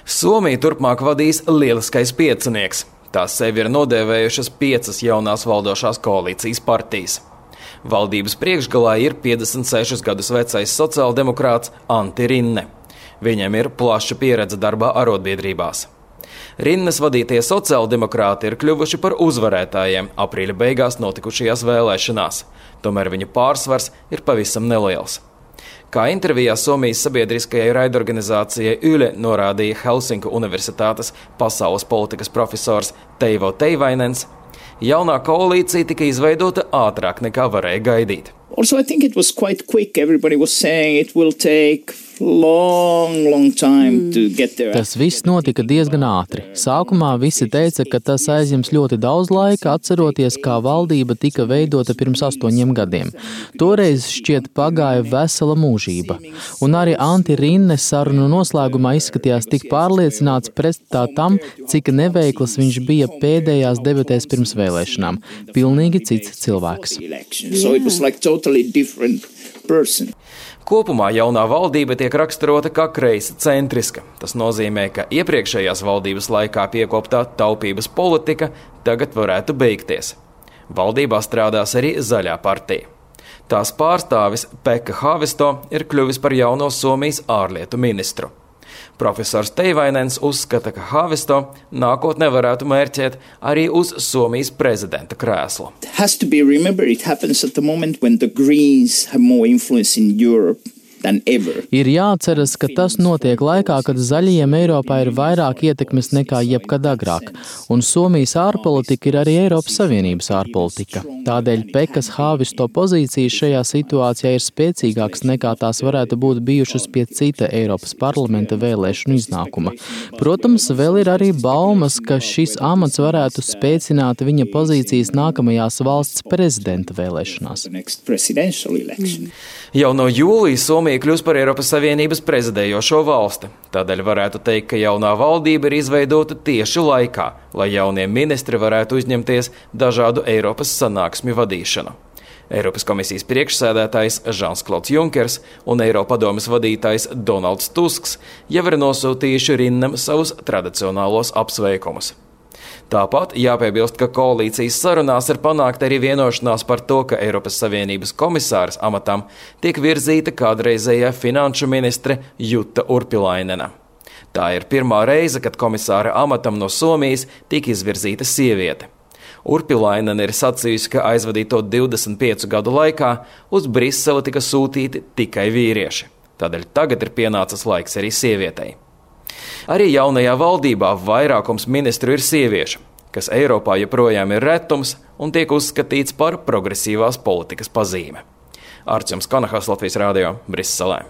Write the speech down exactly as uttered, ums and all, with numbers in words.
Somija turpmāk vadīs lieliskais piecinieks. Tās sevi ir nodēvējušas piecas jaunās valdošās koalīcijas partijas. Valdības priekšgalā ir piecdesmit sešus gadus vecais sociāldemokrāts Antti Rinne. Viņam ir plaša pieredze darbā arotbiedrībās. Rinnes vadītie sociāldemokrāti ir kļuvuši par uzvarētājiem aprīļa beigās notikušajās vēlēšanās. Tomēr viņu pārsvars ir pavisam neliels. Kā intervijā Somijas sabiedriskajai raidorganizācijai Yle norādīja Helsinku Universitātes pasaules politikas profesors Teivo Teivainens, jaunā koalīcija tika izveidota ātrāk nekā varēja gaidīt. Also, I think it was quite quick. Everybody was saying it will take long, long time to get there. Tas viss notika diezgan ātri. Sākumā visi teica, ka tas aizņems ļoti daudz laika, atceroties, kā valdība tika veidota pirms astoņiem gadiem. Toreiz šķiet pagāja vesela mūžība. Un arī Antti Rinne sarunu noslēgumā izskatījās tik pārliecināts pretstā tam, cik neveikls viņš bija pēdējās debatēs pirms vēlēšanām. Pilnīgi cits cilvēks. So it was like totally different person. Kopumā jaunā valdība tiek raksturota kā kreisa centriska. Tas nozīmē, ka iepriekšējās valdības laikā piekoptā taupības politika tagad varētu beigties. Valdībā strādās arī Zaļā partija. Tās pārstāvis Pekka Haavisto ir kļuvis par jauno Somijas ārlietu ministru. Profesors Teivainens uzskata, ka Haavisto nākotnē varētu mērķēt arī uz Somijas prezidenta krēslu. It has to be remembered, it happens at the moment when the Greens have more influence in Europe than ever. Ir jāatceras, ka tas notiek laikā, kad zaļajiem Eiropā ir vairāk ietekmes nekā jebkad agrāk, un Somijas ārpolitika ir arī Eiropas Savienības ārpolitika. Tādēļ Pekas Haavisto pozīcijas šajā situācijā ir spēcīgākas nekā tās varētu būt bijušas pie cita Eiropas parlamenta vēlēšanu iznākuma. Protams, vēl ir arī baumas, ka šis amats varētu spēcināt viņa pozīcijas nākamajās valsts prezidenta vēlēšanās. Jau no jūlija Somija kļūs par Eiropas Savienības prezidējošo valsti. Tādēļ varētu teikt, ka jaunā valdība ir izveidota tieši laikā, lai jaunie ministri varētu uzņemties dažādu Eiropas sanāksmju vadīšanu. Eiropas komisijas priekšsēdētājs Žans-Klods Junkers un Eiropadomes vadītājs Donalds Tusks jau ir nosūtījuši Rinnam savus tradicionālos apsveikumus. Tāpat jāpiebilst, ka koalīcijas sarunās ir panākta arī vienošanās par to, ka Eiropas Savienības komisāras amatam tiek virzīta kādreizējā finanšu ministre Jutta Urpilainena. Tā ir pirmā reize, kad komisāra amatam no Somijas tika izvirzīta sieviete. Urpilainena ir sacījusi, ka aizvadīto divdesmit piecu gadu laikā uz Briseli tika sūtīti tikai vīrieši. Tādēļ tagad ir pienācis laiks arī sievietei. Arī jaunajā valdībā vairākums ministru ir sieviešu, kas Eiropā joprojām ir retums un tiek uzskatīts par progresīvās politikas pazīme. Arčuns Kanahas, Latvijas radio, Briselē.